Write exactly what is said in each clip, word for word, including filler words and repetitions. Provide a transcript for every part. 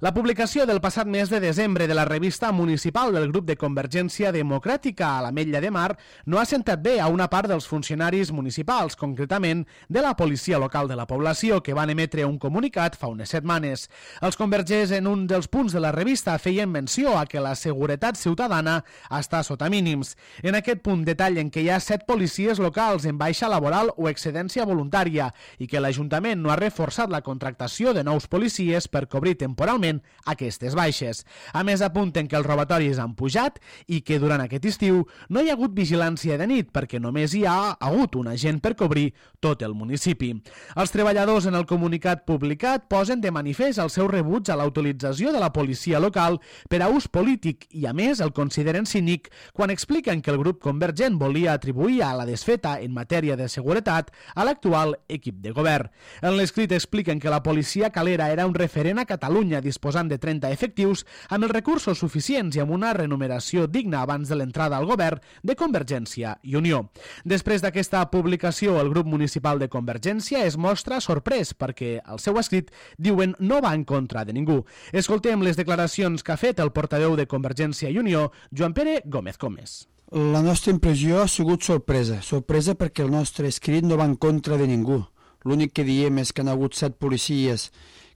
La publicació del passat mes de desembre de la revista municipal del grup de Convergència Democràtica a l'Ametlla de Mar no ha sentat bé a una part dels funcionaris municipals, concretament de la policia local de la població, que van emetre un comunicat fa unes setmanes. Els convergents en un dels punts de la revista feien menció a que la seguretat ciutadana està sota mínims. En aquest punt detallen que hi ha set policies locals en baixa laboral o excedència voluntària i que l'Ajuntament no ha reforçat la contractació de nous policies per cobrir temporalment aquestes baixes. A més, apunten que els robatoris han pujat i que durant aquest estiu no hi ha hagut vigilància de nit perquè només hi ha hagut un agent per cobrir tot el municipi. Els treballadors en el comunicat publicat posen de manifest el seu rebuig a la utilització de la policia local per a ús polític i, a més, el consideren cínic quan expliquen que el grup convergent volia atribuir a la desfeta en matèria de seguretat a l'actual equip de govern. En l'escrit expliquen que la policia calera era un referent a Catalunya disposant de trenta efectius amb els recursos suficients i amb una remuneració digna abans de l'entrada al govern de Convergència i Unió. Després d'aquesta publicació, el grup municipal de Convergència es mostra sorprès perquè el seu escrit, diuen, no va en contra de ningú. Escoltem les declaracions que ha fet el portaveu de Convergència i Unió, Joan Pere Gómez Gómez. La nostra impressió ha sigut sorpresa. Sorpresa perquè el nostre escrit no va en contra de ningú. L'únic que diem és que han hagut set policies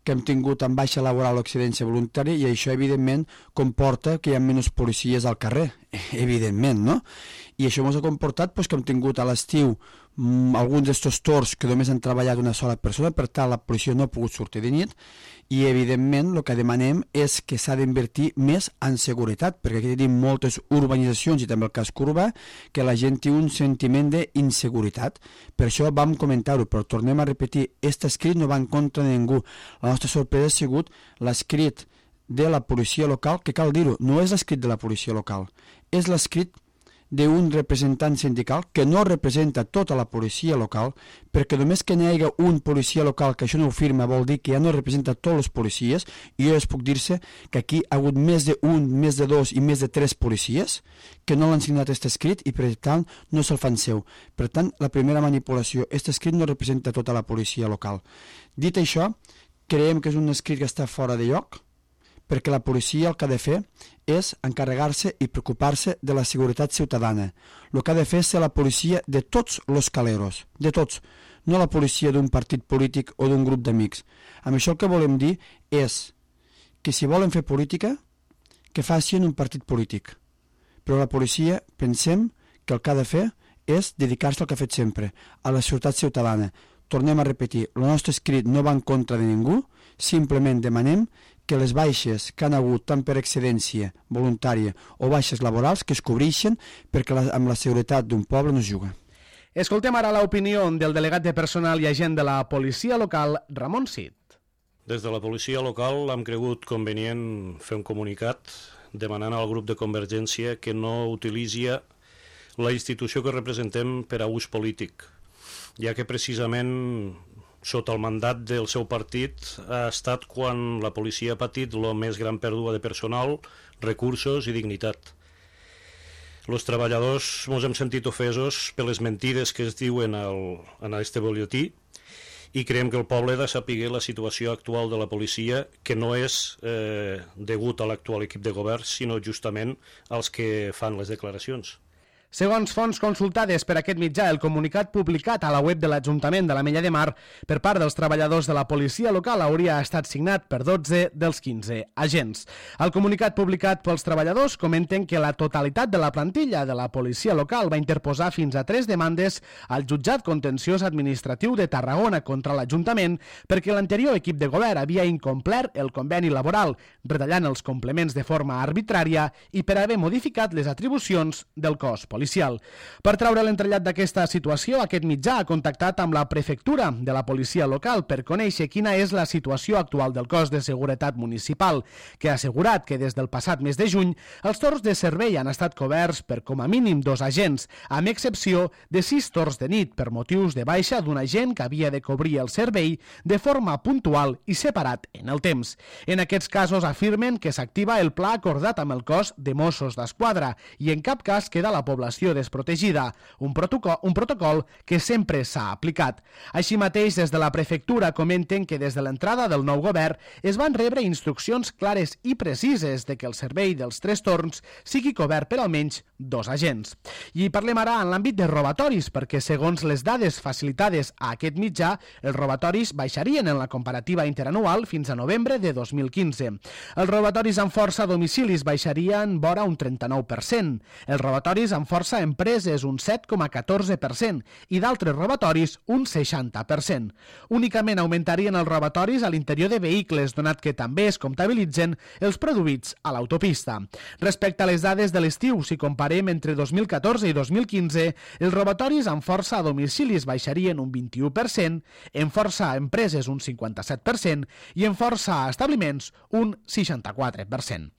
que hem tingut en baixa laboral o excedència voluntària i això, evidentment, comporta que hi ha menys policies al carrer, evidentment, no? I això ens ha comportat pues, que hem tingut a l'estiu mmm, alguns d'estos torns que només han treballat una sola persona, per tant la policia no ha pogut sortir de nit i, evidentment, el que demanem és que s'ha d'invertir més en seguretat, perquè aquí tenim moltes urbanitzacions i també el casc urbà, que la gent té un sentiment d'inseguretat. Per això vam comentar-ho, però tornem a repetir, aquest escrit no va en contra de ningú. La nostra sorpresa ha sigut l'escrit de la policia local, que cal dir-ho, no és l'escrit de la policia local, és l'escrit d'un representant sindical que no representa tota la policia local, perquè només que n'hi hagi un policia local que això no ho firma vol dir que ja no representa tots els policies, i jo es puc dir-se que aquí ha hagut més d'un, més de dos i més de tres policies que no l'han signat aquest escrit i per tant no se'l fan seu. Per tant, la primera manipulació, aquest escrit no representa tota la policia local. Dit això, creiem que és un escrit que està fora de lloc, perquè la policia el que ha de fer és encarregar-se i preocupar-se de la seguretat ciutadana. El que ha de fer és ser la policia de tots els caleros, de tots, no la policia d'un partit polític o d'un grup d'amics. Amb això el que volem dir és que si volen fer política, que facin un partit polític. Però la policia pensem que el que ha de fer és dedicar-se al que ha fet sempre, a la seguretat ciutadana. Tornem a repetir, el nostre escrit no va en contra de ningú, simplement demanem que les baixes que han hagut tant per excedència voluntària o baixes laborals que es cobreixen perquè la, amb la seguretat d'un poble no es juga. Escoltem ara l'opinió del delegat de personal i agent de la policia local, Ramon Cid. Des de la policia local hem cregut convenient fer un comunicat demanant al grup de Convergència que no utilitzi la institució que representem per a ús polític, ja que precisament sota el mandat del seu partit ha estat quan la policia ha patit la més gran pèrdua de personal, recursos i dignitat. Els treballadors ens hem sentit ofesos per les mentides que es diuen al, en aquest butlletí i creiem que el poble ha de saber la situació actual de la policia, que no és eh, degut a l'actual equip de govern, sinó justament als que fan les declaracions. Segons fonts consultades per aquest mitjà, el comunicat publicat a la web de l'Ajuntament de l'Ametlla de Mar per part dels treballadors de la policia local hauria estat signat per dotze dels quinze agents. El comunicat publicat pels treballadors comenten que la totalitat de la plantilla de la policia local va interposar fins a tres demandes al jutjat contenciós administratiu de Tarragona contra l'Ajuntament perquè l'anterior equip de govern havia incomplert el conveni laboral, retallant els complements de forma arbitrària i per haver modificat les atribucions del cos policial. Per traure l'entrellat d'aquesta situació, aquest mitjà ha contactat amb la prefectura de la policia local per conèixer quina és la situació actual del cos de seguretat municipal, que ha assegurat que des del passat mes de juny els torns de servei han estat coberts per com a mínim dos agents, amb excepció de sis torns de nit per motius de baixa d'un agent que havia de cobrir el servei de forma puntual i separat en el temps. En aquests casos afirmen que s'activa el pla acordat amb el cos de Mossos d'Esquadra i en cap cas queda la població informació desprotegida, un protocol, un protocol que sempre s'ha aplicat. Així mateix, des de la prefectura comenten que des de l'entrada del nou govern es van rebre instruccions clares i precises de que el servei dels tres torns sigui cobert per almenys dos agents. I parlem ara en l'àmbit de robatoris, perquè segons les dades facilitades a aquest mitjà, els robatoris baixarien en la comparativa interanual fins a novembre de dos mil quinze. Els robatoris amb força a domicilis baixarien vora un trenta-nou per cent, els robatoris amb força a empreses un set coma catorze per cent i d'altres robatoris un seixanta per cent. Únicament augmentarien els robatoris a l'interior de vehicles, donat que també es comptabilitzen els produïts a l'autopista. Respecte a les dades de l'estiu, si comparem entre dos mil catorze i dos mil quinze, els robatoris amb força a domicilis baixarien un vint-i-u per cent, en força a empreses un cinquanta-set per cent i en força a establiments un seixanta-quatre per cent.